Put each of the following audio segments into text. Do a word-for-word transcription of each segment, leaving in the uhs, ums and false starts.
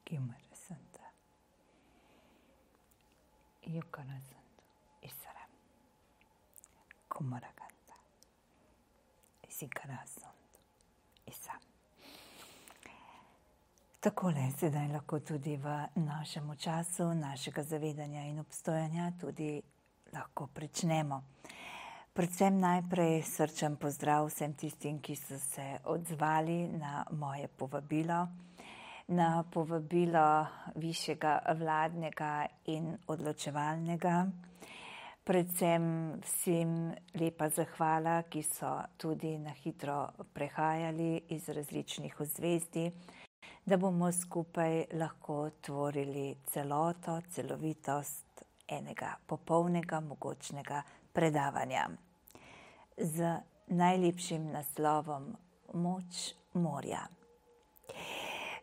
Kimarasanta. Yukarasanta. Isaram. Kumarakanta. Isikarasanta. Isam. Takole, sedaj lahko tudi v našem času, našega zavedanja in obstojanja tudi lahko pričnemo. Predvsem najprej srčen pozdrav vsem tistim, ki so se odzvali na moje povabilo, na povabilo višjega vladnega in odločevalnega. Predvsem vsem lepa zahvala, ki so tudi na hitro prehajali iz različnih ozvezdij, da bomo skupaj lahko tvorili celoto, celovitost enega popolnega, mogočnega predavanja z najlepšim naslovom Moč morja.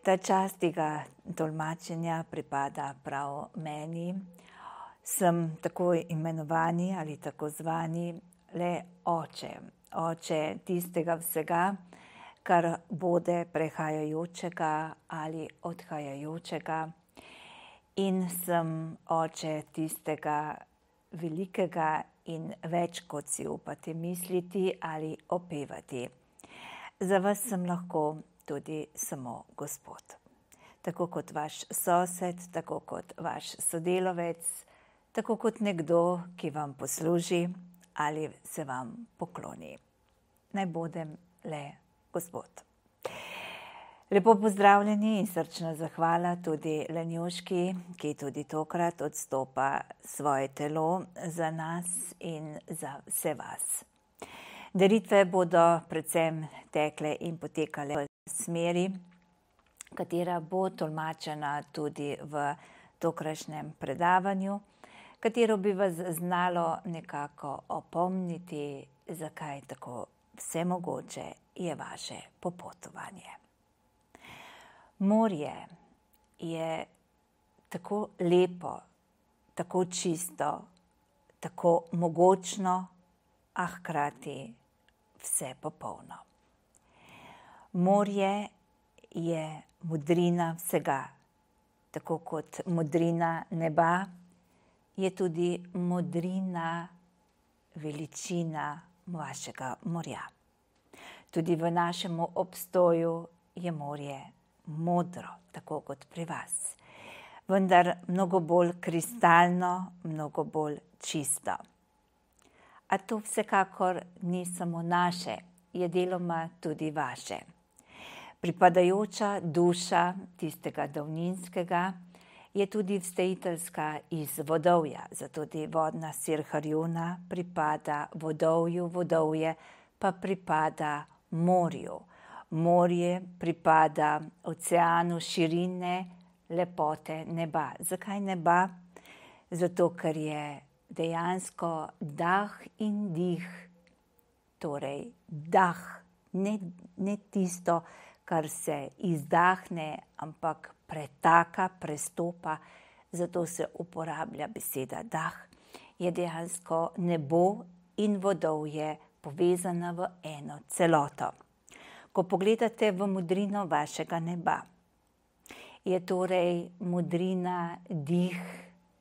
Ta čast tega tolmačenja pripada prav meni. Sem tako imenovani ali tako zvani le oče. Oče tistega vsega, kar bode prehajajočega ali odhajajočega. In sem oče tistega velikega in več, kot si upate misliti ali opevati. Za vas sem lahko tudi samo Gospod. Tako kot vaš sosed, tako kot vaš sodelavec, tako kot nekdo, ki vam posluži ali se vam pokloni. Naj bodem le Gospod. Lepo pozdravljeni in srčna zahvala tudi Lenjuški, ki tudi tokrat odstopa svoje telo za nas in za vse vas. Daritve bodo predvsem tekle in potekale v smeri, katera bo tolmačena tudi v tokrašnjem predavanju, katero bi vas znalo nekako opomniti, zakaj tako vsemogoče je vaše popotovanje. Morje je tako lepo, tako čisto, tako mogočno, a hkrati vse popolno. Morje je modrina vsega, tako kot modrina neba, je tudi modrina veličina vašega morja. Tudi v našem obstoju je morje modro, tako kot pri vas, vendar mnogo bolj kristalno, mnogo bolj čisto. A to vsekakor ni samo naše, je deloma tudi vaše. Pripadajoča duša tistega davninskega je tudi vstejiteljska iz Vodovja, zato tudi vodna sir Harjuna pripada Vodovju, Vodovje pa pripada morju. Morje pripada oceanu širine, lepote neba. Zakaj neba? Zato, ker je dejansko dah in dih, torej dah, ne, ne tisto, kar se izdahne, ampak pretaka, prestopa, zato se uporablja beseda dah, je dejansko nebo in Vodovje povezana v eno celoto. Ko pogledate v modrino vašega neba, je torej modrina dih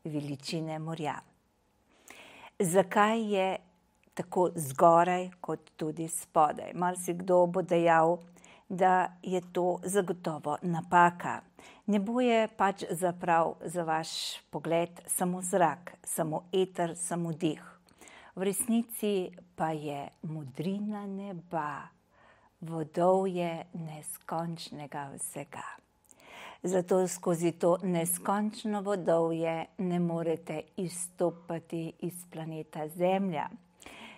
veličine morja. Zakaj je tako zgoraj kot tudi spodaj? Marsikdo bo dejal, da je to zagotovo napaka. Nebo je pač zaprav za vaš pogled samo zrak, samo eter, samo dih. V resnici pa je modrina neba Vodovje neskončnega vsega. Zato skozi to neskončno Vodovje ne morete izstopati iz planeta Zemlja,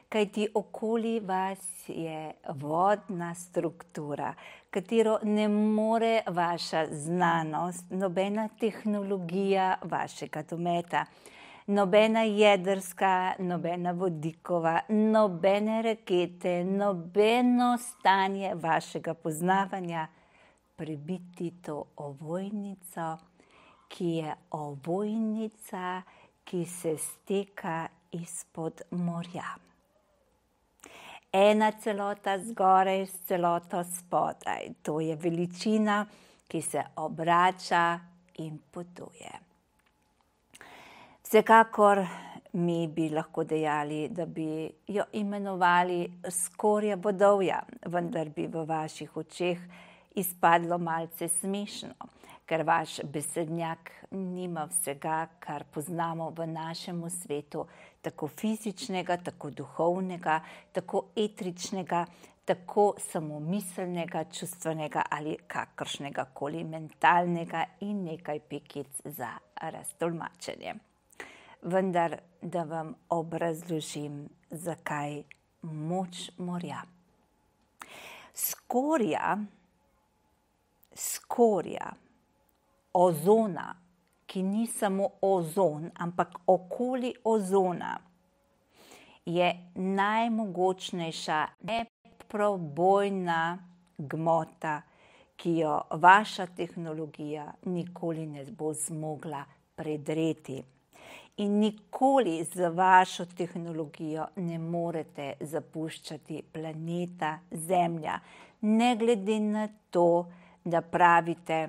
kajti okoli vas je vodna struktura, katero ne more vaša znanost, nobena tehnologija vašega dometa, nobena jedrska, nobena vodikova, nobene rakete, nobeno stanje vašega poznavanja prebiti to ovojnico, ki je ovojnica, ki se steka izpod morja. Ena celota zgoraj s celoto spodaj. To je veličina, ki se obrača in potuje. Vsekakor mi bi lahko dejali, da bi jo imenovali skorja vodovja, vendar bi v vaših očeh izpadlo malce smešno, ker vaš besednjak nima vsega, kar poznamo v našem svetu, tako fizičnega, tako duhovnega, tako etričnega, tako samomiselnega, čustvenega ali kakršnega koli mentalnega in nekaj pikic za raztolmačenje. Vendar, da vam obrazložim, zakaj moč morja. Skorja, skorja, ozona, ki ni samo ozon, ampak okoli ozona, je najmogočnejša neprobojna gmota, ki jo vaša tehnologija nikoli ne bo zmogla predreti. In nikoli z vašo tehnologijo ne morete zapuščati planeta Zemlja, ne glede na to, da pravite,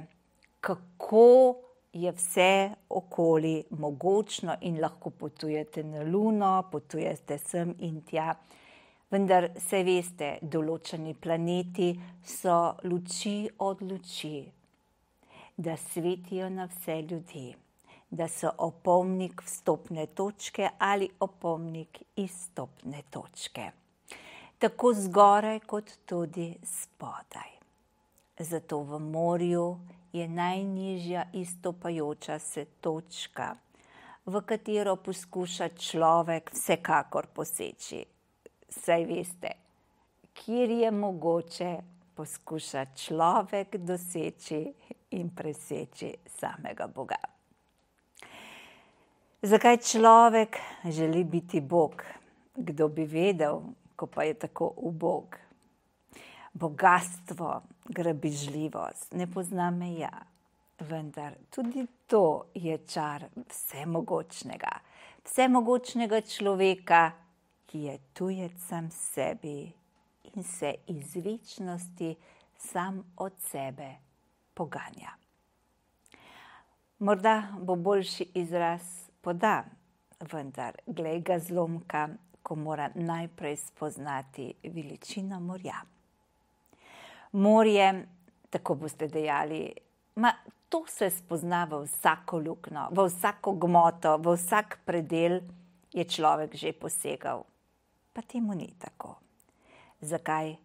kako je vse okoli mogočno in lahko potujete na Luno, potujete sem in tja. Vendar se veste, določeni planeti so luči od luči, da svetijo na vse ljudi, da so opomnik vstopne točke ali opomnik izstopne točke. Tako zgoraj kot tudi spodaj. Zato v morju je najnižja izstopajoča se točka, v katero poskuša človek vsekakor poseči. Saj veste, kjer je mogoče, poskuša človek doseči in preseči samega Boga. Zakaj človek želi biti Bog? Kdo bi vedel, ko pa je tako ubog? Bogastvo, grabežljivost, ne pozna meja, vendar tudi to je čar vsemogočnega. Vsemogočnega človeka, ki je tujec sam sebi in se iz večnosti sam od sebe poganja. Morda bo boljši izraz poda, vendar glej ga zlomka, ko mora najprej spoznati veličino morja. Morje, tako boste dejali, ma to se spozna v vsako luknjo, v vsako gmoto, v vsak predel je človek že posegal. Pa temu ni tako. Zakaj?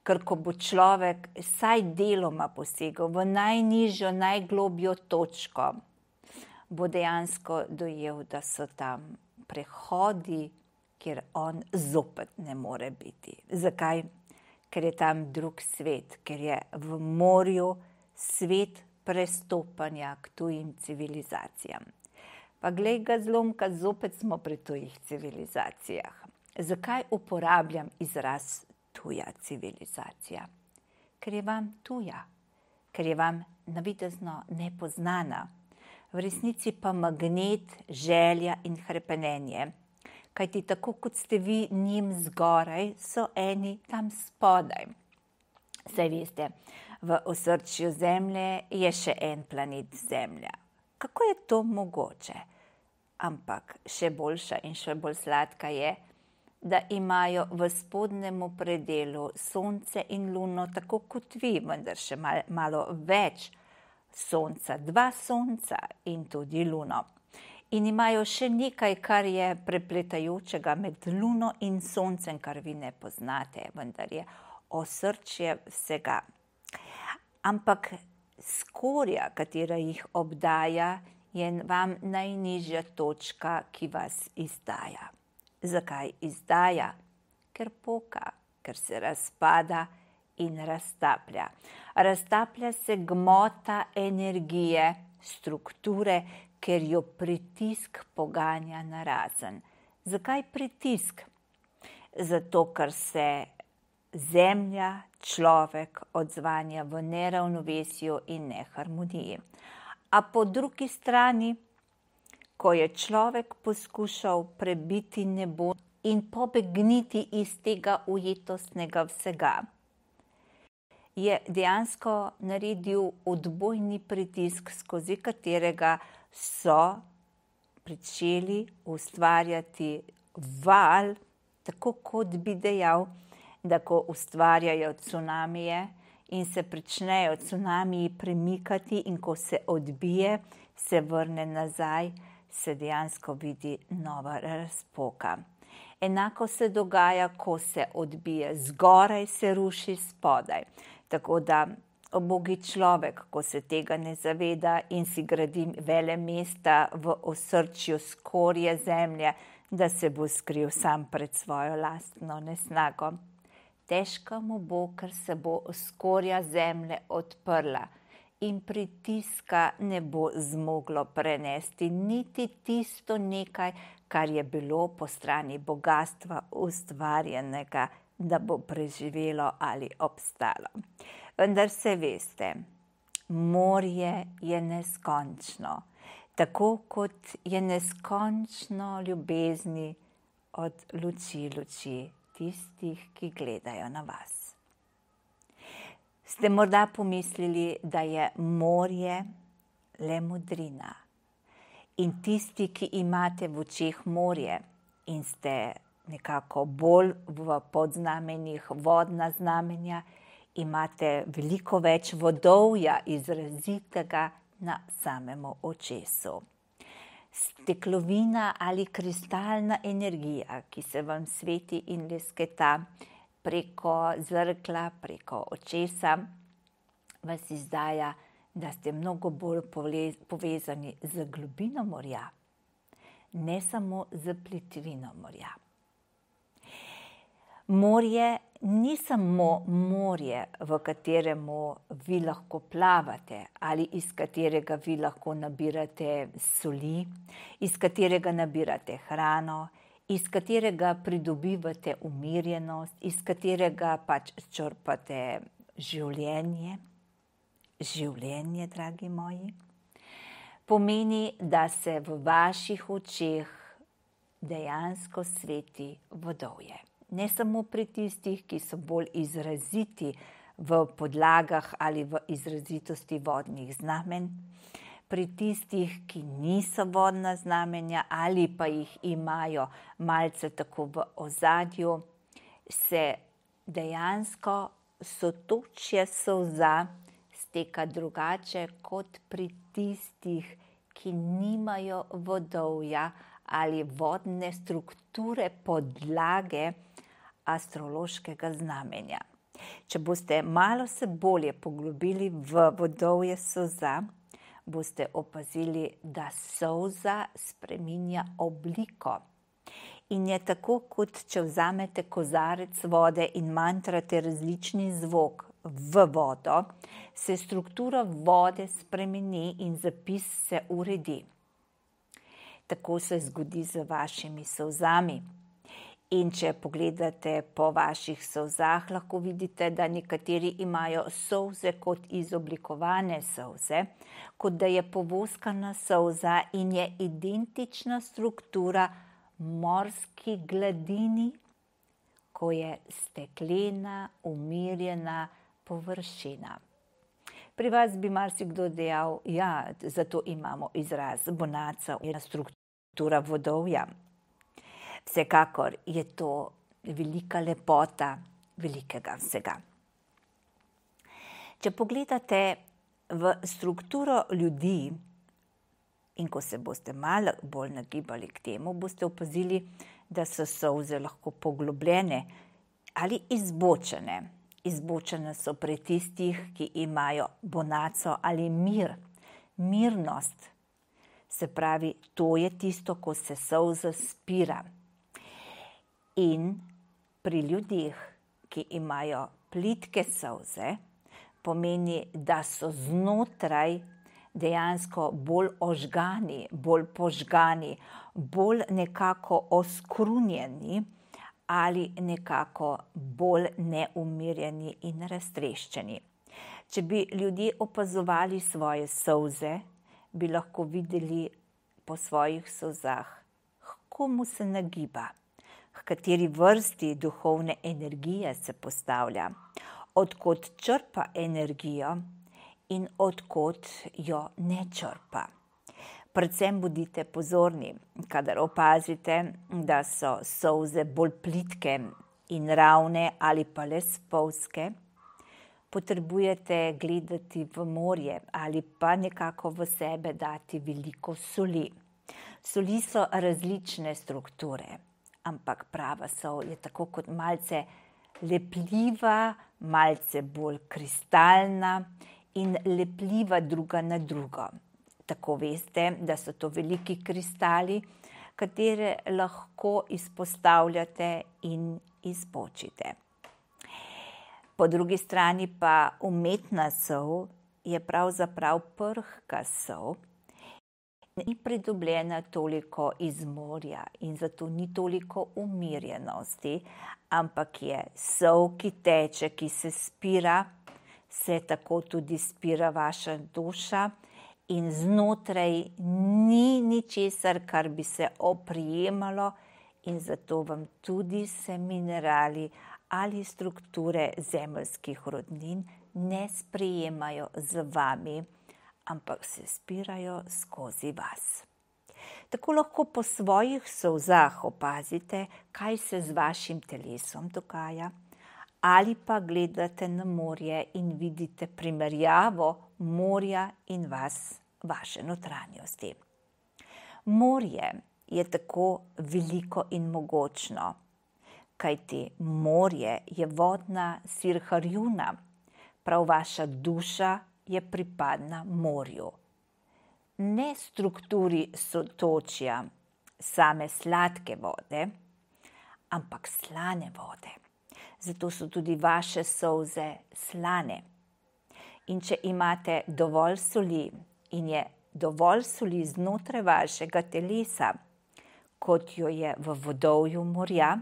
Ker ko bo človek vsaj deloma posegal v najnižjo, najglobjo točko, bo dejansko dojel, da so tam prehodi, kjer on zopet ne more biti. Zakaj? Ker je tam drug svet, ker je v morju svet prestopanja k tujim civilizacijam. Pa glej ga zlomka, zopet smo pri tujih civilizacijah. Zakaj uporabljam izraz tuja civilizacija? Ker je vam tuja, ker je vam navidezno nepoznana. V resnici pa magnet, želja in hrepenenje. Kajti tako kot ste vi njim zgoraj, so eni tam spodaj. Saj veste, v osrčju Zemlje je še en planet Zemlja. Kako je to mogoče? Ampak še boljša in še bolj sladka je, da imajo v spodnjemu predelu Sonce in Luno tako kot vi, vendar še mal, malo več Sonca, dva Sonca in tudi Luno. In imajo še nekaj, kar je prepletajočega med Luno in Soncem, kar vi ne poznate, vendar je osrčje vsega. Ampak skorja, katera jih obdaja, je vam najnižja točka, ki vas izdaja. Zakaj izdaja? Ker poka, ker se razpada in raztaplja. Raztaplja se gmota energije, strukture, ker jo pritisk poganja narazen. Zakaj pritisk? Zato, ker se Zemlja, človek odzvanja v neravnovesju in neharmoniji. A po drugi strani, ko je človek poskušal prebiti nebo in pobegniti iz tega ujetostnega vsega, je dejansko naredil odbojni pritisk, skozi katerega so pričeli ustvarjati val, tako kot bi dejal, da ko ustvarjajo cunamije in se pričnejo cunamiji premikati in ko se odbije, se vrne nazaj, se dejansko vidi nova razpoka. Enako se dogaja, ko se odbije zgoraj, se ruši spodaj. Tako da ubogi človek, ko se tega ne zaveda in si gradi vele mesta v osrčju skorje zemlje, da se bo skril sam pred svojo lastno nesnago. Težko mu bo, ker se bo skorja zemlje odprla in pritiska ne bo zmoglo prenesti niti tisto nekaj, kar je bilo po strani bogastva ustvarjenega, da bo preživelo ali obstalo. Vendar se veste, morje je neskončno, tako kot je neskončno ljubezni od luči luči tistih, ki gledajo na vas. Ste morda pomislili, da je morje le modrina in tisti, ki imate v očeh morje in ste nekako bolj v podznamenjih vodna znamenja, imate veliko več vodovja izrazitega na samemu očesu. Steklovina ali kristalna energija, ki se vam sveti in lesketa preko zrkla, preko očesa, vas izdaja, da ste mnogo bolj povezani z globino morja, ne samo z plitvino morja. Morje ni samo morje, v kateremu vi lahko plavate ali iz katerega vi lahko nabirate soli, iz katerega nabirate hrano, iz katerega pridobivate umirjenost, iz katerega pač črpate življenje. Življenje, dragi moji, pomeni, da se v vaših očeh dejansko sveti vodovje. Ne samo pri tistih, ki so bolj izraziti v podlagah ali v izrazitosti vodnih znamen, pri tistih, ki niso vodna znamenja ali pa jih imajo malce tako v ozadju, se dejansko sotočje solza steka drugače kot pri tistih, ki nimajo vodovja ali vodne strukture podlage astrološkega znamenja. Če boste malo se bolje poglobili v vodovje solza, boste opazili, da solza spreminja obliko. In je tako, kot če vzamete kozarec vode in mantrate različni zvok v vodo, se struktura vode spremeni in zapis se uredi. Tako se zgodi z vašimi solzami. In če pogledate po vaših solzah, lahko vidite, da nekateri imajo solze kot izoblikovane solze, kot da je povoskana solza in je identična struktura morski gladini, ko je steklena, umirjena površina. Pri vas bi marsikdo dejal, ja, zato imamo izraz bonaca, je struktura vodovja. Vsekakor je to velika lepota velikega vsega. Če pogledate v strukturo ljudi in ko se boste malo bolj nagibali k temu, boste opazili, da so solze lahko poglobljene ali izbočene. Izbočene so pri tistih, ki imajo bonaco ali mir, mirnost. Se pravi, to je tisto, ko se solza spira. In pri ljudeh, ki imajo plitke solze, pomeni, da so znotraj dejansko bolj ožgani, bolj požgani, bolj nekako oskrunjeni ali nekako bolj neumirjeni in raztreščeni. Če bi ljudje opazovali svoje solze, bi lahko videli po svojih solzah, h komu se nagiba, h kateri vrsti duhovne energije se postavlja, odkot črpa energijo in odkot jo ne črpa. Predvsem bodite pozorni, kadar opazite, da so solze bolj plitke in ravne ali pa le spolzke. Potrebujete gledati v morje ali pa nekako v sebe dati veliko soli. Soli so različne strukture, ampak prava sol je tako kot malce lepljiva, malce bolj kristalna in lepljiva druga na drugo. Tako veste, da so to veliki kristali, katere lahko izpostavljate in izbočite. Po drugi strani pa umetna sol je pravzaprav prhka sol, ni pridobljena toliko iz morja in zato ni toliko umirjenosti, ampak je sol, ki teče, ki se spira, se tako tudi spira vaša duša in znotraj ni ničesar, kar bi se oprijemalo in zato vam tudi se minerali ali strukture zemeljskih rodnin ne sprejemajo z vami, ampak se spirajo skozi vas. Tako lahko po svojih solzah opazite, kaj se z vašim telesom dogaja, ali pa gledate na morje in vidite primerjavo morja in vas, vaše notranjosti. Morje je tako veliko in mogočno, kajti morje je vodna sirharjuna, prav vaša duša je pripadna morju. Ne strukturi sotočja same sladke vode, ampak slane vode. Zato so tudi vaše solze slane. In če imate dovolj soli in je dovolj soli znotraj vašega telesa, kot jo je v vodovju morja,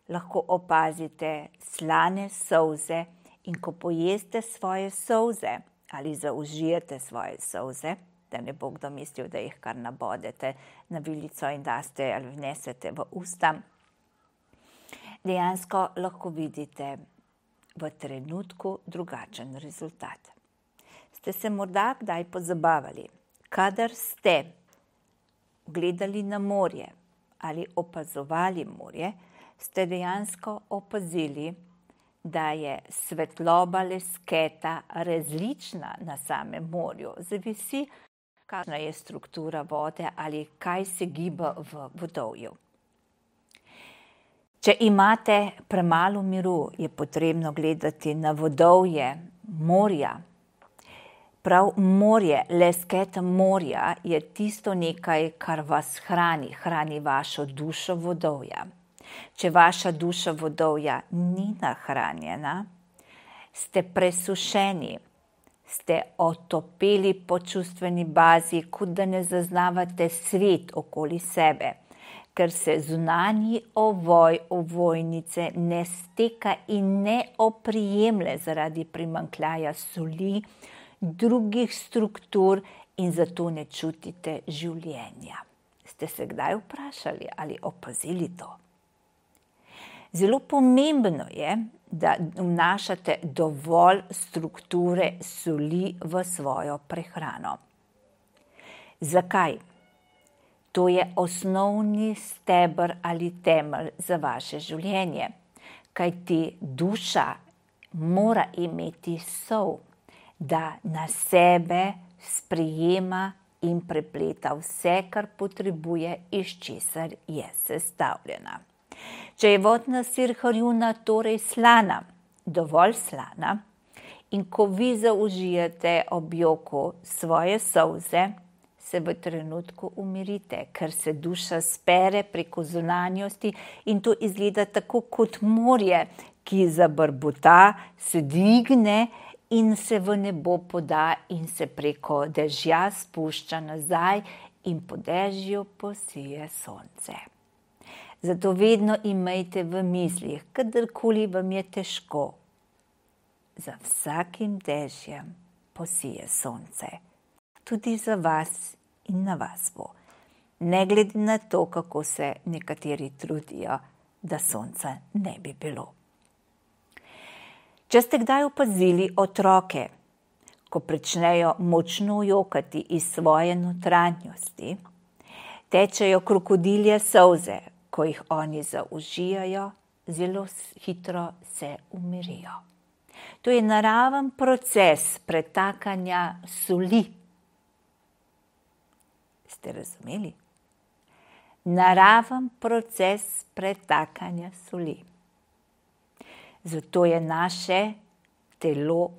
lahko opazite slane solze in ko pojeste svoje solze ali zaužijete svoje solze, da ne bo kdo mislil, da jih kar nabodete na vilico in daste ali vnesete v usta, dejansko lahko vidite v trenutku drugačen rezultat. Ste se morda kdaj pozabavali, kadar ste gledali na morje ali opazovali morje, ste dejansko opazili, da je svetloba lesketa različna na samem morju. Zavisi, kakšna je struktura vode ali kaj se giba v vodovju. Če imate premalo miru, je potrebno gledati na vodovje morja. Prav morje, lesketa morja je tisto nekaj, kar vas hrani, hrani vašo dušo vodovja. Če vaša duša vodovja ni nahranjena, ste presušeni, ste otopeli po čustveni bazi, kot da ne zaznavate svet okoli sebe, ker se zunanji ovoj ovojnice ne steka in ne oprijemlje zaradi primanjkljaja soli, drugih struktur in zato ne čutite življenja. Ste se kdaj vprašali ali opazili to? Zelo pomembno je, da vnašate dovolj strukture soli v svojo prehrano. Zakaj? To je osnovni steber ali temelj za vaše življenje, kajti duša mora imeti sol, da na sebe sprejema in prepleta vse, kar potrebuje, iz česar je sestavljena. Če je vodna sirharjuna torej slana, dovolj slana, in ko vi zaužijete ob joku svoje solze, se v trenutku umirite, ker se duša spere preko zunanjosti in to izgleda tako kot morje, ki zabrbota, se dvigne in se v nebo poda in se preko dežja spušča nazaj in po dežju posije sonce. Zato vedno imejte v mislih, kadarkoli vam je težko, za vsakim dežjem posije sonce. Tudi za vas in na vas bo. Ne glede na to, kako se nekateri trudijo, da sonca ne bi bilo. Če ste kdaj opazili otroke, ko pričnejo močno jokati iz svoje notranjosti, tečejo krokodilje solze, ko jih oni zaužijajo, zelo hitro se umirijo. To je naraven proces pretakanja soli. Ste razumeli? Naraven proces pretakanja soli. Zato je naše telo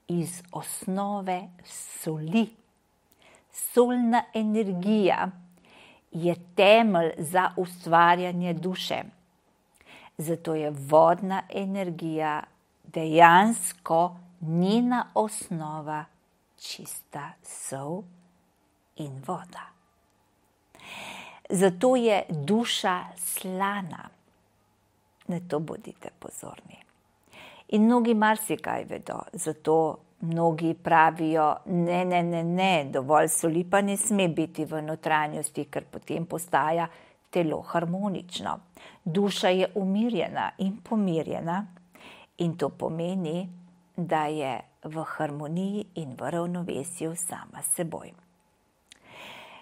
iz osnove soli. Solna energija je temelj za ustvarjanje duše. Zato je vodna energija dejansko njena osnova čista sol in voda. Zato je duša slana. Na to bodite pozorni. In mnogi marsikaj vedo, zato mnogi pravijo, ne, ne, ne, ne, dovolj soli pa ne sme biti v notranjosti, ker potem postaja telo harmonično. Duša je umirjena in pomirjena in to pomeni, da je v harmoniji in v ravnovesju sama s seboj.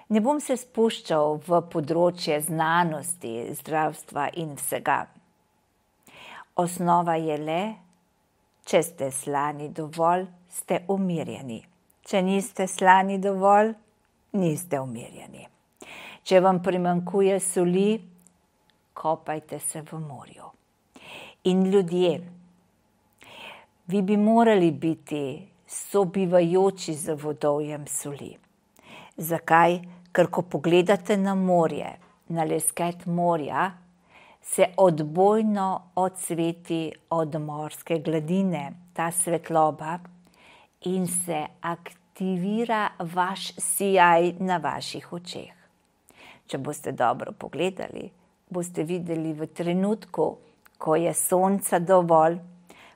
Ne bom se spuščal v področje znanosti, zdravstva in vsega. Osnova je le, če ste slani dovolj, ste umirjeni. Če niste slani dovolj, niste umirjeni. Če vam primanjkuje soli, kopajte se v morju. In ljudje, vi bi morali biti sobivajoči z vodovjem soli. Zakaj? Ker ko pogledate na morje, na lesket morja, se odbojno odsveti od morske gladine, ta svetloba, in se aktivira vaš sijaj na vaših očeh. Če boste dobro pogledali, boste videli v trenutku, ko je sonca dovolj,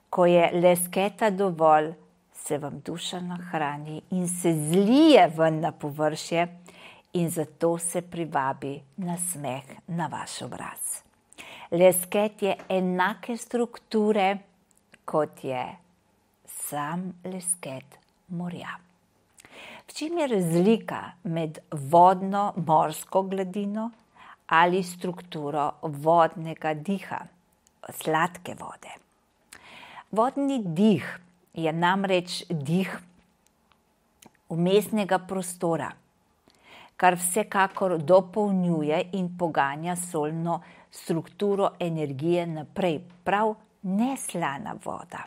ko je lesketa dovolj, se vam duša nahrani in se zlije ven na površje in zato se privabi nasmeh na vaš obraz. Lesket je enake strukture, kot je sam lesket morja. V čem je razlika med vodno-morsko gladino ali strukturo vodnega diha, sladke vode? Vodni dih je namreč dih vmesnega prostora, kar vsekakor dopolnjuje in poganja solno strukturo energije naprej, prav neslana voda.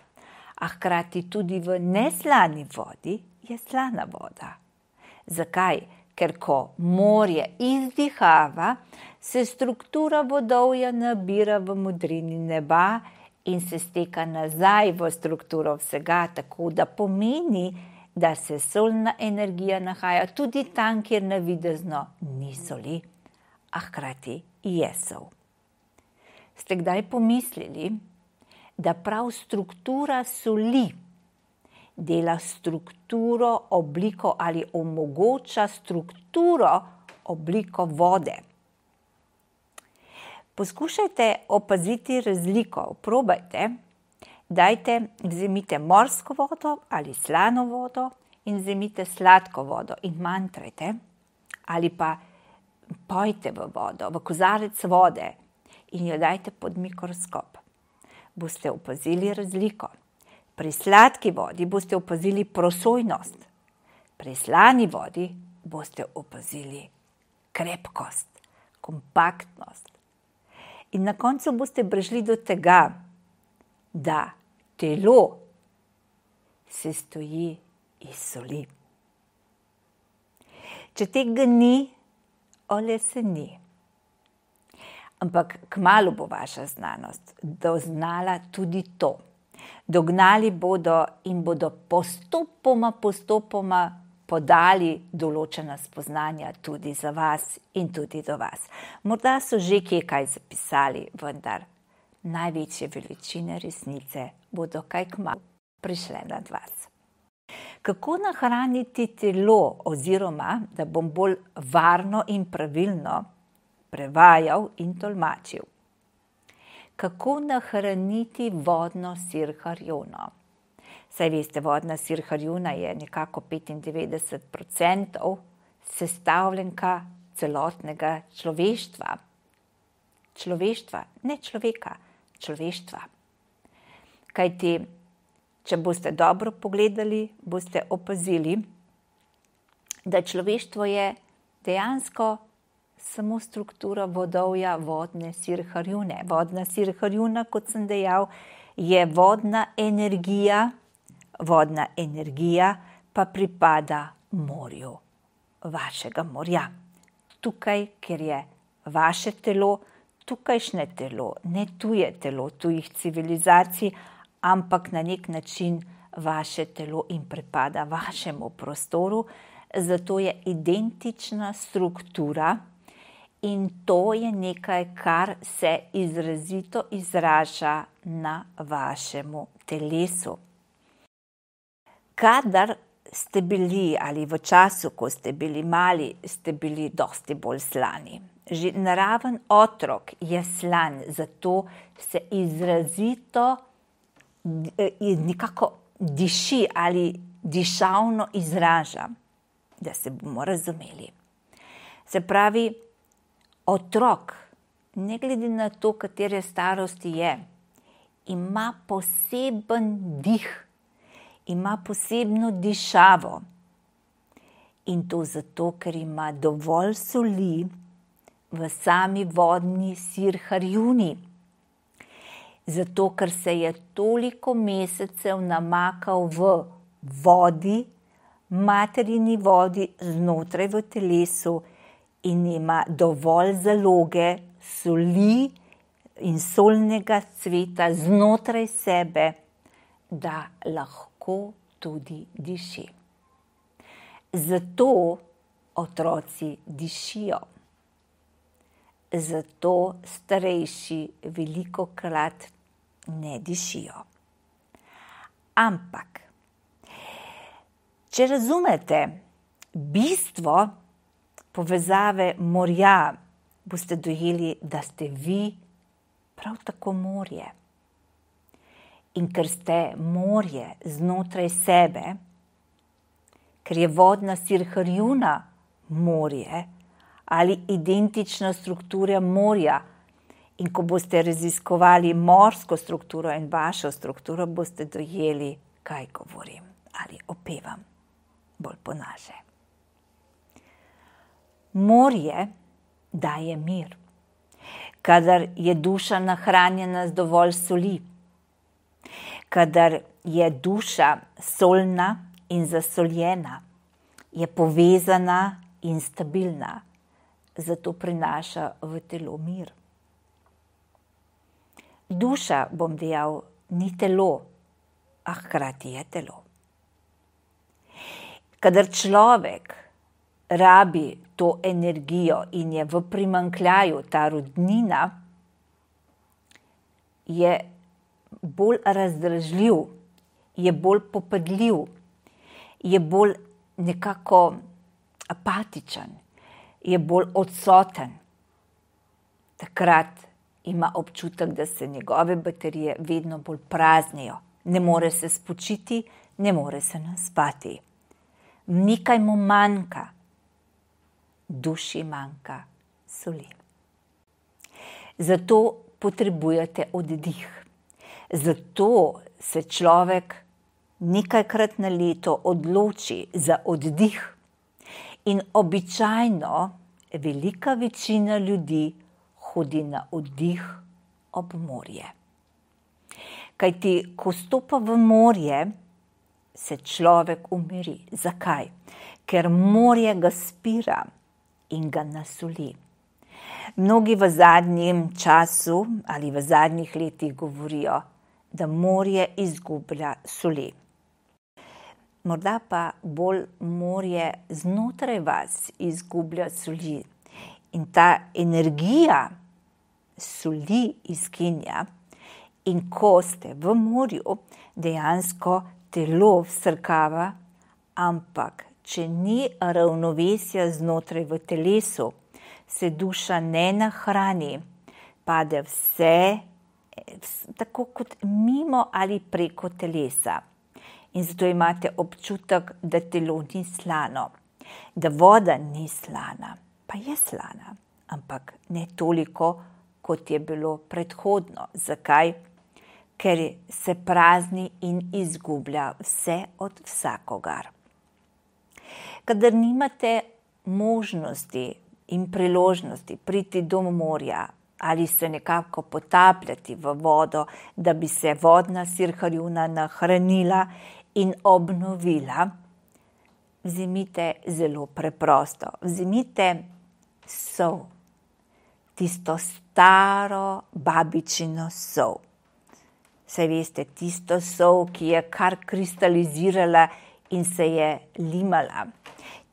A hkrati tudi v neslani vodi je slana voda. Zakaj? Ker ko morje izdihava, se struktura vodovja nabira v modrini neba in se steka nazaj v strukturo vsega, tako da pomeni, da se solna energija nahaja tudi tam, kjer navidezno ni soli, a hkrati je sol. Ste kdaj pomislili, da prav struktura soli dela strukturo, obliko ali omogoča strukturo, obliko vode? Poskušajte opaziti razliko, probajte. Dajte, vzemite morsko vodo ali slano vodo in vzemite sladko vodo in mantrajte ali pa pojte v vodo, v kozarec vode in jo dajte pod mikroskop. Boste opazili razliko. Pri sladki vodi boste opazili prosojnost, pri slani vodi boste opazili krepkost, kompaktnost. In na koncu boste prišli do tega, da telo se stoji iz soli. Če tega ni, ole se ni. Ampak kmalu bo vaša znanost doznala tudi to. Dognali bodo in bodo postopoma, postopoma podali določena spoznanja tudi za vas in tudi do vas. Morda so že kje kaj zapisali, vendar največje veličine resnice bodo kaj kmalu prišle nad vas. Kako nahraniti telo oziroma, da bom bolj varno in pravilno prevajal in tolmačil? kako nahraniti vodno sirharjono. Saj veste, vodna sirharjona je nekako petindevetdeset procentov sestavljenka celotnega človeštva. Človeštva, ne človeka, človeštva. Kajti, če boste dobro pogledali, boste opazili, da človeštvo je dejansko samo struktura vodovja vodne sirharjone. Vodna sirharjona, kot sem dejal, je vodna energija, vodna energija pa pripada morju, vašega morja. Tukaj, kjer je vaše telo, tukajšnje telo, ne tuje telo, tujih civilizacij, ampak na nek način vaše telo in pripada vašemu prostoru, zato je identična struktura in to je nekaj, kar se izrazito izraža na vašemu telesu. Kadar ste bili ali v času, ko ste bili mali, ste bili dosti bolj slani. Že naraven otrok je slan, zato se izrazito nekako diši ali dišavno izraža, da se bomo razumeli. Se pravi, otrok, ne glede na to, katere starosti je, ima poseben dih, ima posebno dišavo. In to zato, ker ima dovolj soli v sami vodni sirharjuni. Zato, ker se je toliko mesecev namakal v vodi, materini vodi znotraj v telesu in ima dovolj zaloge soli in solnega cveta znotraj sebe, da lahko tudi diši. Zato otroci dišijo. Zato starejši velikokrat ne dišijo. Ampak, če razumete bistvo povezave morja, boste dojeli, da ste vi prav tako morje. In ker ste morje znotraj sebe, ker je vodna sirharjuna morje ali identična struktura morja, in ko boste raziskovali morsko strukturo in vašo strukturo, boste dojeli, kaj govorim ali opevam bolj po naše. Morje daje mir, kadar je duša nahranjena z dovolj soli, kadar je duša solna in zasoljena, je povezana in stabilna, zato prinaša v telo mir. Duša, bom dejal, ni telo, a hkrati je telo. Kadar človek rabi to energijo in je v primanjkljaju, ta rudnina, je bolj razdražljiv, je bolj popadljiv, je bolj nekako apatičen, je bolj odsoten. Takrat ima občutek, da se njegove baterije vedno bolj praznijo. Ne more se spočiti, ne more se naspati. Nekaj mu manjka. Duši manjka soli. Zato potrebujete oddih. Zato se človek nekajkrat na leto odloči za oddih. In običajno velika večina ljudi hodi na oddih ob morje. Kajti, ko stopa v morje, se človek umiri. Zakaj? Ker morje ga spira in ga nasoli. Mnogi v zadnjem času ali v zadnjih letih govorijo, da morje izgublja soli. Morda pa bolj morje znotraj vas izgublja soli. In ta energija soli izginja. In ko ste v morju, dejansko telo vsrkava, ampak če ni ravnovesja znotraj v telesu, se duša ne nahrani, pade vse tako kot mimo ali preko telesa. In zato imate občutek, da telo ni slano, da voda ni slana, pa je slana, ampak ne toliko, kot je bilo predhodno. Zakaj? Ker se prazni in izgublja vse od vsakogar. Kadar nimate možnosti in priložnosti priti do morja ali se nekako potapljati v vodo, da bi se vodna sirharjuna nahranila in obnovila, vzemite zelo preprosto. Vzemite sol, tisto staro babičino sol. Saj veste, tisto sol, ki je kar kristalizirala in se je limala.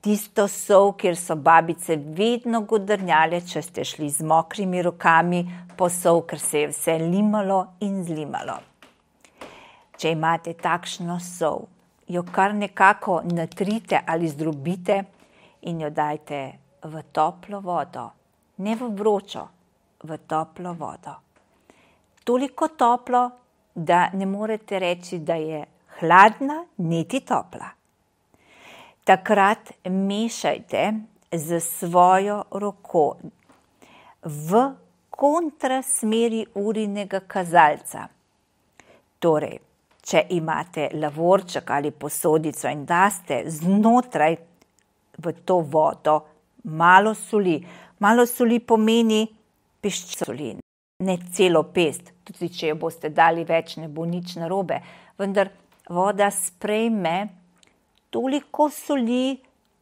Tisto sol, kjer so babice vedno godrnjale, če ste šli z mokrimi rokami po sol, ker se je vse limalo in zlimalo. Če imate takšno sol, jo kar nekako natrite ali zdrobite in jo dajte v toplo vodo. Ne v vročo, v toplo vodo. Toliko toplo, da ne morete reči, da je hladna, niti topla. Takrat mešajte z svojo roko v kontrasmeri urinega kazalca. Torej, če imate lavorček ali posodico in daste znotraj v to vodo malo soli. Malo soli pomeni peščico soli, ne celo pest. Tudi če jo boste dali več, ne bo nič narobe. Vendar voda sprejme toliko soli,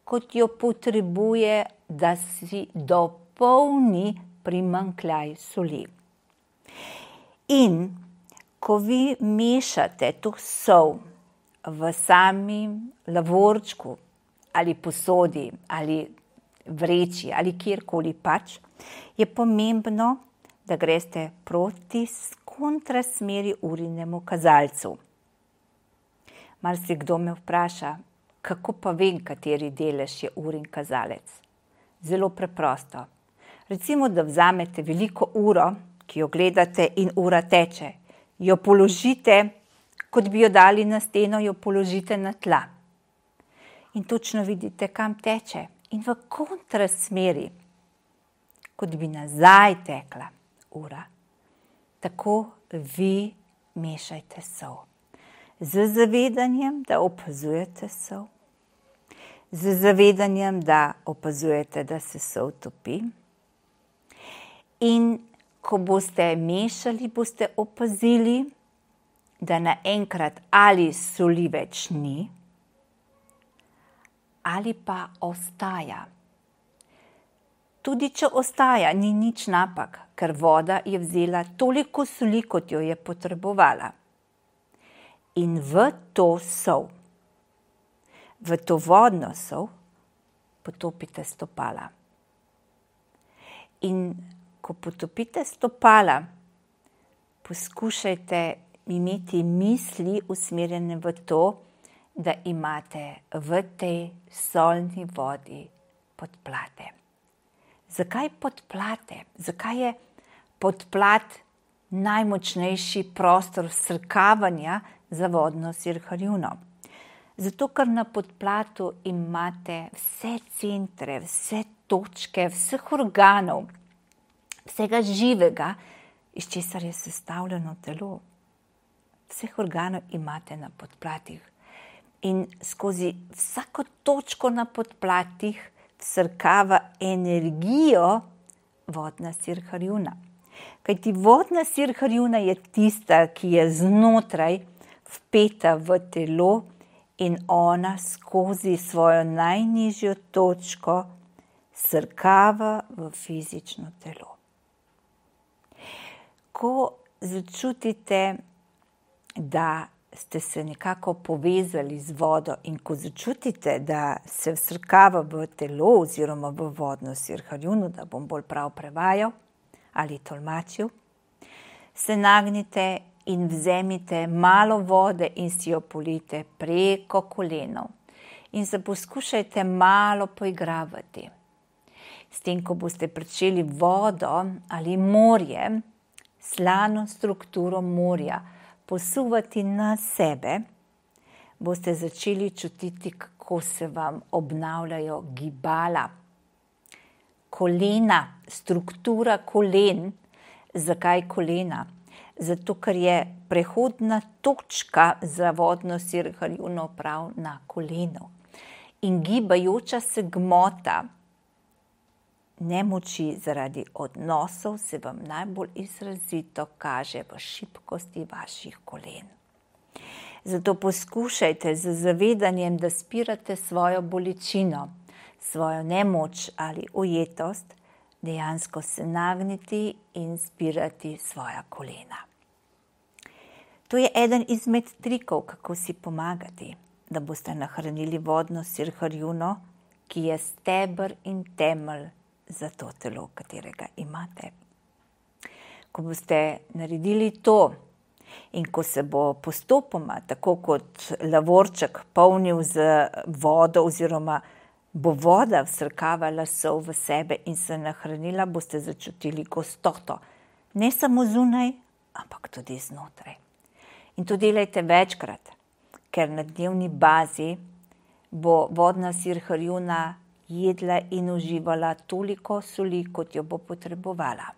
kot jo potrebuje, da si dopolni primanjkljaj soli. In ko vi mešate to sol v samem lavorčku ali posodi ali vreči ali kjerkoli pač, je pomembno, da greste proti kontrasmeri urinemu kazalcu. Marsikdo me vpraša, kako pa vem, kateri delež je urin kazalec? Zelo preprosto. Recimo, da vzamete veliko uro, ki jo gledate in ura teče. Jo položite, kot bi jo dali na steno, jo položite na tla. In točno vidite, kam teče. In v kontrasmeri, kot bi nazaj tekla ura. Tako vi mešajte sol. Z zavedanjem, da opazujete sol. Z zavedanjem, da opazujete, da se sol topi. In ko boste mešali, boste opazili, da naenkrat ali soli več ni, ali pa ostaja. Tudi če ostaja, ni nič napak, ker voda je vzela toliko soli, kot jo je potrebovala. In v to sol, v to vodno sol, potopite stopala. In ko potopite stopala, poskušajte imeti misli usmerjene v to, da imate v tej solni vodi podplate. Zakaj podplate? Zakaj je podplat najmočnejši prostor vsrkavanja za vodno sirharjuno? Zato, ker na podplatu imate vse centre, vse točke, vseh organov, vsega živega, iz česar je sestavljeno telo. Vseh organov imate na podplatih. In skozi vsako točko na podplatih vsrkava energijo vodna sirharjuna. Kajti vodna sirharjuna je tista, ki je znotraj vpeta v telo in ona skozi svojo najnižjo točko srkava v fizično telo. Ko začutite, da ste se nekako povezali z vodo in ko začutite, da se vsrkava v telo oziroma v vodno sirharjuno, da bom bolj prav prevajal ali tolmačil, se nagnite in vzemite malo vode in si jo polijte preko kolenov. In se poskušajte malo poigravati. S tem, ko boste pričeli vodo ali morje slano strukturo morja posuvati na sebe, boste začeli čutiti, kako se vam obnavljajo gibala. Kolena, struktura kolen. Zakaj kolena? Zato, ker je prehodna točka za vodno sirharjuno prav na kolenu. In gibajoča se gmota nemoči zaradi odnosov se vam najbolj izrazito kaže v šibkosti vaših kolen. Zato poskušajte z zavedanjem, da spirate svojo bolečino, svojo nemoč ali ujetost, dejansko se nagniti in spirati svoja kolena. To je eden izmed trikov, kako si pomagati, da boste nahranili vodno sirharjuno, ki je steber in temelj za to telo, katerega imate. Ko boste naredili to in ko se bo postopoma, tako kot lavorček, polnil z vodo oziroma bo voda vsrkavala sol v sebe in se nahranila, boste začutili gostoto. Ne samo zunaj, ampak tudi znotraj. In to delajte večkrat, ker na dnevni bazi bo vodna sirharjuna jedla in uživala toliko soli, kot jo bo potrebovala.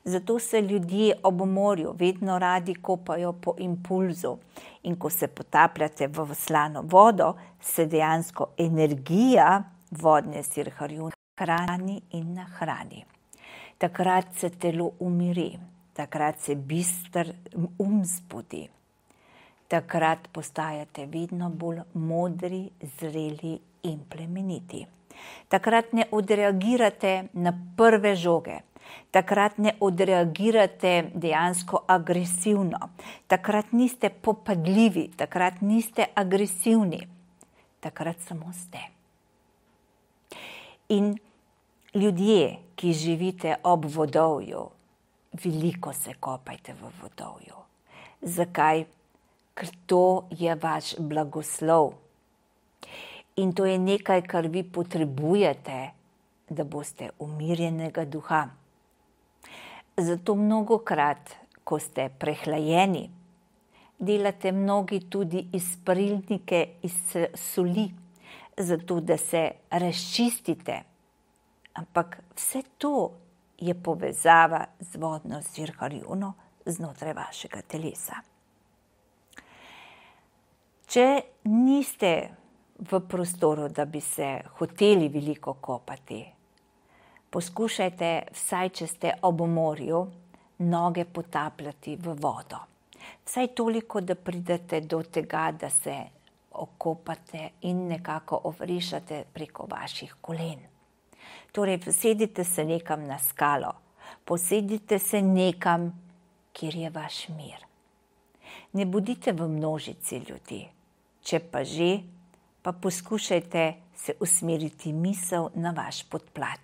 Zato se ljudje ob morju vedno radi kopajo po impulzu in ko se potapljate v slano vodo, se dejansko energija vodne sirharjune hrani in nahrani. Takrat se telo umiri, takrat se bister um zbudi. Takrat postajate vedno bolj modri, zreli in plemeniti. Takrat ne odreagirate na prve žoge. Takrat ne odreagirate dejansko agresivno. Takrat niste popadljivi, takrat niste agresivni. Takrat samo ste. In ljudje, ki živite ob vodovju, veliko se kopajte v vodovju. Zakaj? Ker to je vaš blagoslov. In to je nekaj, kar vi potrebujete, da boste umirjenega duha. Zato mnogokrat, ko ste prehlajeni, delate mnogi tudi izparilnike iz soli, zato da se razčistite. Ampak vse to je povezava z vodno sirharjuno znotraj vašega telesa. Če niste v prostoru, da bi se hoteli veliko kopati, poskušajte, vsaj če ste ob morju, noge potapljati v vodo. Vsaj toliko, da pridete do tega, da se okopate in nekako ovrišate preko vaših kolen. Torej, posedite se nekam na skalo, posedite se nekam, kjer je vaš mir. Ne bodite v množici ljudi. Če pa že, pa poskušajte se usmeriti misel na vaš podplat.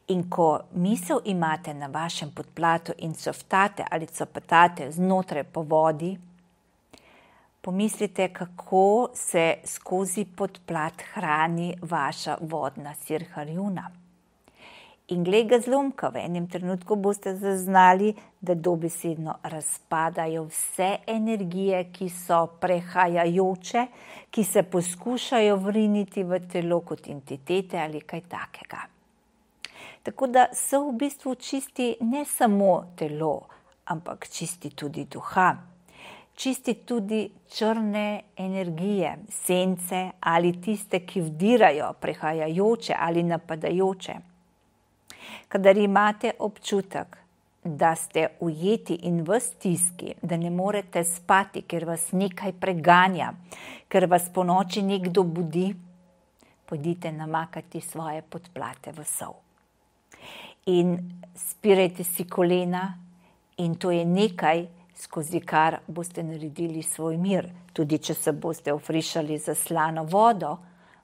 In ko misel imate na vašem podplatu in coftate ali copatate znotraj po vodi, pomislite, kako se skozi podplat hrani vaša vodna sirharjuna. In glej ga zlomka, v enem trenutku boste zaznali, da dobesedno razpadajo vse energije, ki so prehajajoče, ki se poskušajo vriniti v telo kot entitete ali kaj takega. Tako da so v bistvu čisti ne samo telo, ampak čisti tudi duha. Čisti tudi črne energije, sence ali tiste, ki vdirajo, prehajajoče ali napadajoče. Kadar imate občutek, da ste ujeti in v stiski, da ne morete spati, ker vas nekaj preganja, ker vas po noči nekdo budi, pojdite namakati svoje podplate v sol. In spirajte si kolena in to je nekaj, skozi kar boste naredili svoj mir. Tudi če se boste ofrišali za slano vodo,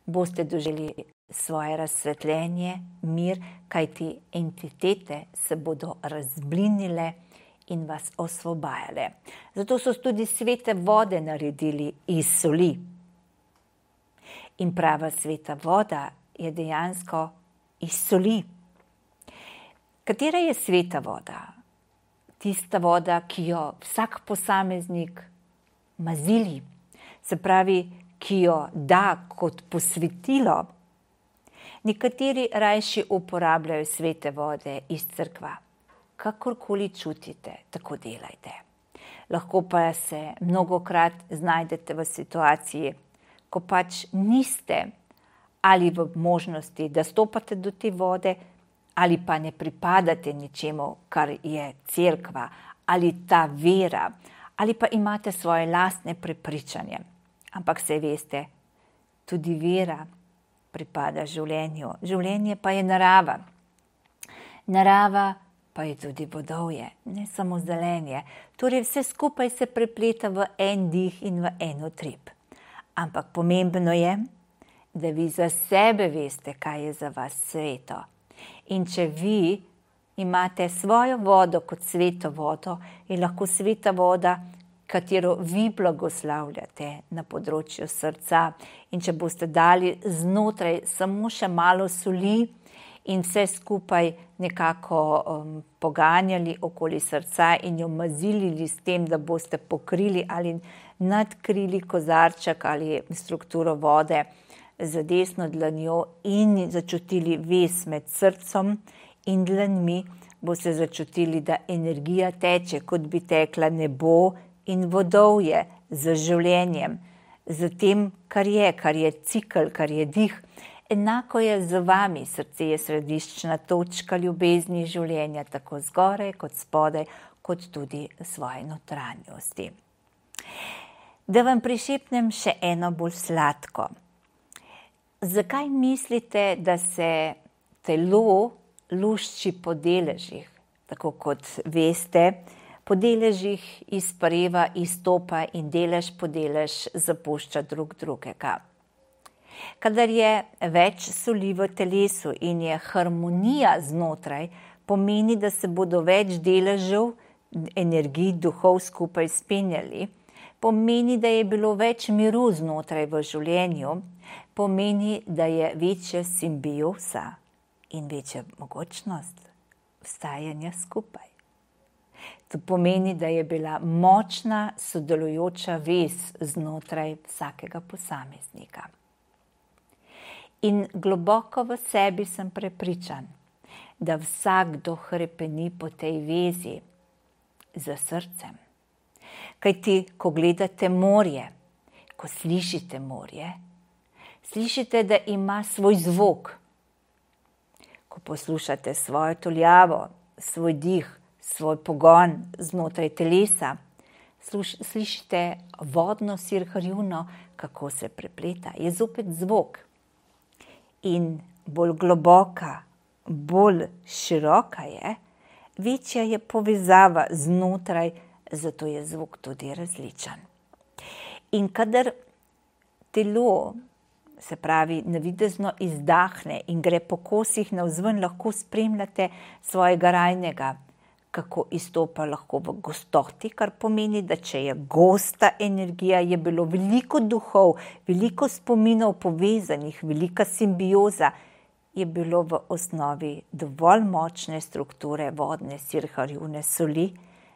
boste doživeli svoje razsvetljenje, mir, kajti entitete se bodo razblinile in vas osvobajale. Zato so tudi svete vode naredili iz soli. In prava sveta voda je dejansko iz soli. Katera je sveta voda? tista voda, ki jo vsak posameznik mazili, se pravi, ki jo da kot posvetilo. Nekateri rajši uporabljajo svete vode iz cerkva. Kakorkoli čutite, tako delajte. Lahko pa se mnogokrat znajdete v situaciji, ko pač niste ali v možnosti, da stopate do te vode, ali pa ne pripadate ničemu, kar je cerkva, ali ta vera, ali pa imate svoje lastne prepričanje. Ampak saj veste, tudi vera pripada življenju. Življenje pa je narava. Narava pa je tudi vodovje, ne samo zelenje. Torej vse skupaj se prepleta v en dih in v en utrip. Ampak pomembno je, da vi za sebe veste, kaj je za vas sveto. In če vi imate svojo vodo kot sveto vodo, je lahko sveta voda, katero vi blagoslavljate na področju srca. In če boste dali znotraj samo še malo soli in vse skupaj nekako um, poganjali okoli srca in jo mazilili s tem, da boste pokrili ali nadkrili kozarček ali strukturo vode z desno dlanjo in začutili vez med srcem in dlanmi, boste začutili, da energija teče, kot bi tekla nebo in vodovje z življenjem, z tem, kar je, kar je cikl, kar je dih. Enako je z vami, srce je središčna točka ljubezni življenja, tako zgoraj kot spodaj, kot tudi svoje notranjosti. Da vam prišepnem še eno bolj sladko. Zakaj mislite, da se telo lušči po deležih? Tako kot veste, po deležih izpareva, izstopa in delež po delež zapušča drug drugega. Kadar je več soli v telesu in je harmonija znotraj, pomeni, da se bodo več deležev energij duhov skupaj spenjali, pomeni, da je bilo več miru znotraj v življenju, pomeni, da je večja simbioza in večja mogočnost vstajanja skupaj. To pomeni, da je bila močna sodelujoča vez znotraj vsakega posameznika. In globoko v sebi sem prepričan, da vsakdo hrepeni po tej vezi za srcem. Kajti, ko gledate morje, ko slišite morje, slišite, da ima svoj zvok. Ko poslušate svojo tuljavo, svoj dih, svoj pogon znotraj telesa, slišite vodno sirharjuno, kako se prepleta. Je zopet zvok. In bolj globoka, bolj široka je, večja je povezava znotraj, zato je zvok tudi različen. In kadar telo, se pravi, navidezno izdahne in gre po kosih navzven, lahko spremljate svojega rajnega, kako izstopa lahko v gostoti, kar pomeni, da če je gosta energija, je bilo veliko duhov, veliko spominov povezanih, velika simbioza, je bilo v osnovi dovolj močne strukture vodne sirharjune soli,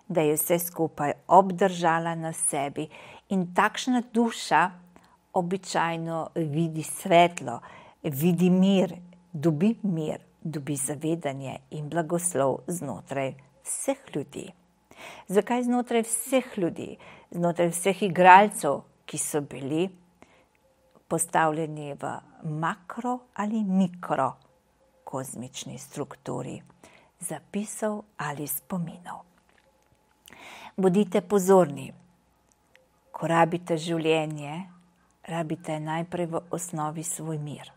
da je vse skupaj obdržala na sebi in takšna duša običajno vidi svetlo, vidi mir, dobi mir, dobi zavedanje in blagoslov znotraj vseh ljudi. Zakaj znotraj vseh ljudi? Znotraj vseh igralcev, ki so bili postavljeni v makro ali mikro kozmični strukturi zapisov ali spominov. Bodite pozorni, ko rabite življenje, rabite najprej v osnovi svoj mir.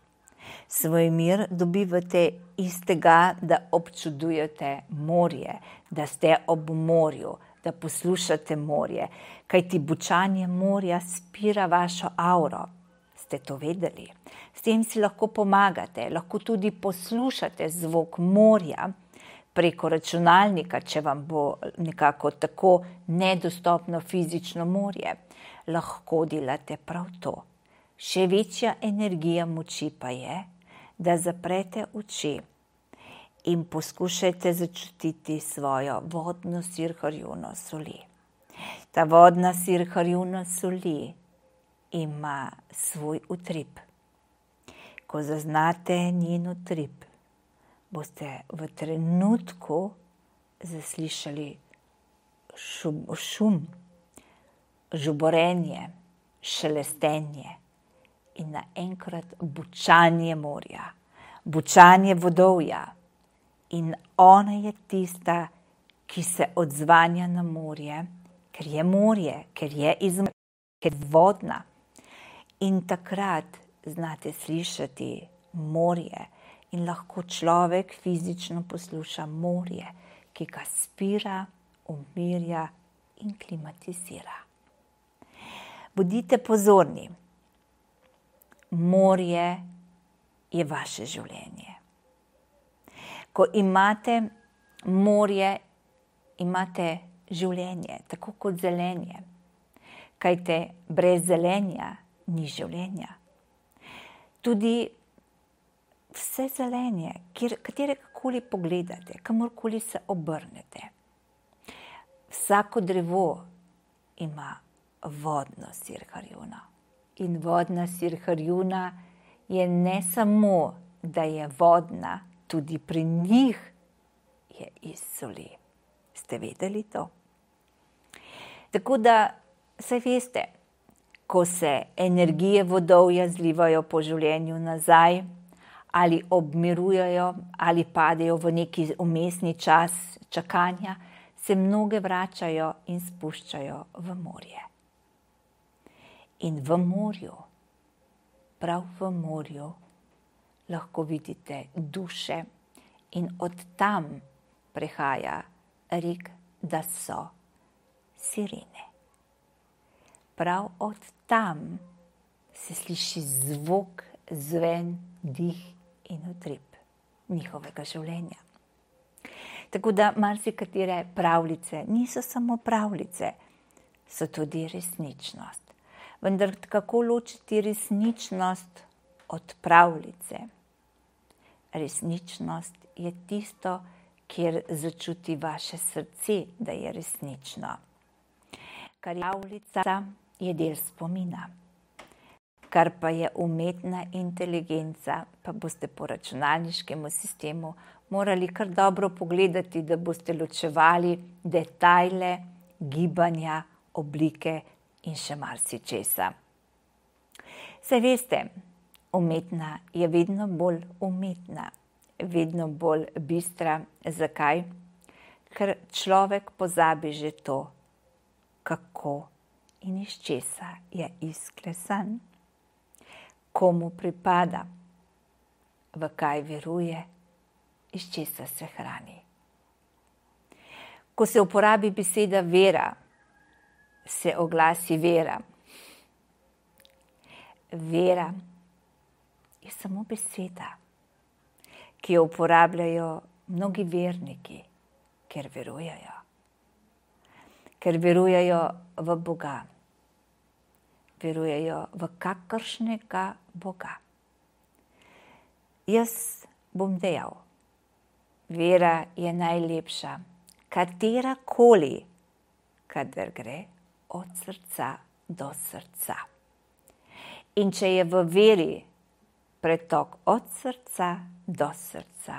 Svoj mir dobivate iz tega, da občudujete morje, da ste ob morju, da poslušate morje, kajti bučanje morja spira vašo auro. Ste to vedeli? S tem si lahko pomagate, lahko tudi poslušate zvok morja preko računalnika, če vam bo nekako tako nedostopno fizično morje. Lahko delate prav to. Še večja energija moči pa je, da zaprete oči in poskušajte začutiti svojo vodno sirharjuno soli. Ta vodna sirharjuna soli ima svoj utrip. Ko zaznate njen utrip, boste v trenutku zaslišali šum, šum žuborenje, šelestenje in naenkrat bučanje morja, bučanje vodovja. In ona je tista, ki se odzvanja na morje, ker je morje, ker je izmor, ker je vodna. In takrat znate slišati morje in lahko človek fizično posluša morje, ki ga spira, umirja in klimatizira. Bodite pozorni. Morje je vaše življenje. Ko imate morje, imate življenje, tako kot zelenje. Kajte brez zelenja ni življenja. Tudi vse zelenje, katerekoli pogledate, kamorkoli se obrnete. Vsako drevo ima vodno sirharjuno. In vodna sirharjuna je ne samo, da je vodna, tudi pri njih je iz soli. Ste vedeli to? Tako da, saj veste, ko se energije vodovja zlivajo po življenju nazaj, ali obmirujejo, ali padejo v neki vmesni čas čakanja, se mnoge vračajo in spuščajo v morje. In v morju, prav v morju, lahko vidite duše in od tam prihaja rek, da so sirene. Prav od tam se sliši zvok, zven, dih in utrip njihovega življenja. Tako da marsikatere pravljice niso samo pravljice, so tudi resničnost. Vendar kako ločiti resničnost od pravljice? Resničnost je tisto, kjer začuti vaše srce, da je resnično. Kar je pravljica, je del spomina. Kar pa je umetna inteligenca, pa boste po računalniškemu sistemu morali kar dobro pogledati, da boste ločevali detajle, gibanja, oblike in še marsičesa. Saj veste, umetna je vedno bolj umetna, vedno bolj bistra. Zakaj? Ker človek pozabi že to, kako in iz česa je izklesan, komu pripada, v kaj veruje, iz česa se hrani. Ko se uporabi beseda vera, se oglasi vera. Vera je samo beseda, ki jo uporabljajo mnogi verniki, ker verujejo. Ker verujejo v Boga. Verujejo v kakršnega Boga. Jaz bom dejal, vera je najlepša, katerakoli, kadar gre od srca do srca. In če je v veri pretok od srca do srca,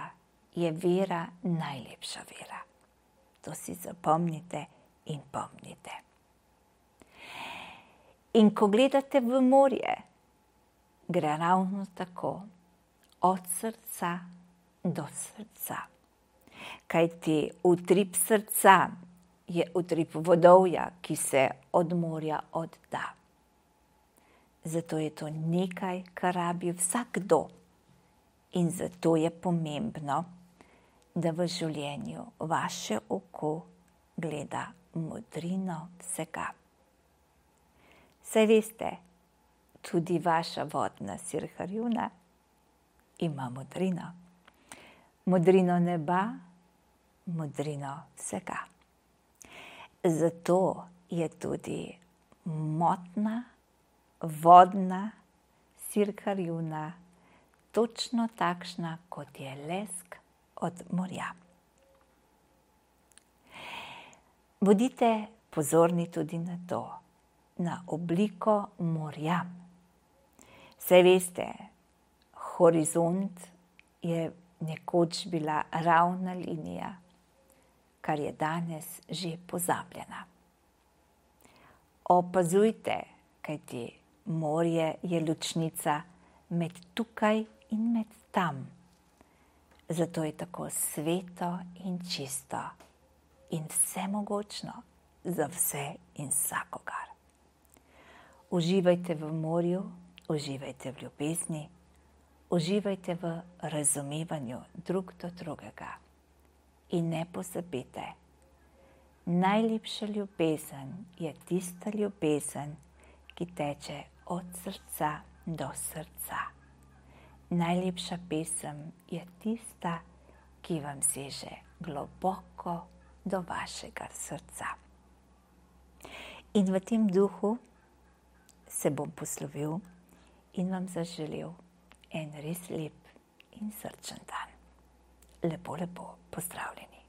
je vera najlepša vera. To si zapomnite in pomnite. In ko gledate v morje, gre ravno tako od srca do srca. Kajti utrip srca je utrip vodovja, ki se od morja odda. Zato je to nekaj, kar rabi vsakdo. In zato je pomembno, da v življenju vaše oko gleda modrino vsega. Saj veste, tudi vaša vodna sirharjuna ima modrino. Modrino neba, modrino vsega. Zato je tudi motna, vodna sirharjuna točno takšna, kot je lesk od morja. Bodite pozorni tudi na to, na obliko morja. Saj veste, horizont je nekoč bila ravna linija, kar je danes že pozabljena. Opazujte, kajti morje je ločnica med tukaj in med tam. Zato je tako sveto in čisto in vsemogočno za vse in vsakogar. Uživajte v morju, uživajte v ljubezni, uživajte v razumevanju drug do drugega. In ne pozabite, najlepša ljubezen je tista ljubezen, ki teče od srca do srca. Najlepša pesem je tista, ki vam seže globoko do vašega srca. In v tem duhu se bom poslovil in vam zaželel en res lep in srčen dan. Lepo, lepo pozdravljeni.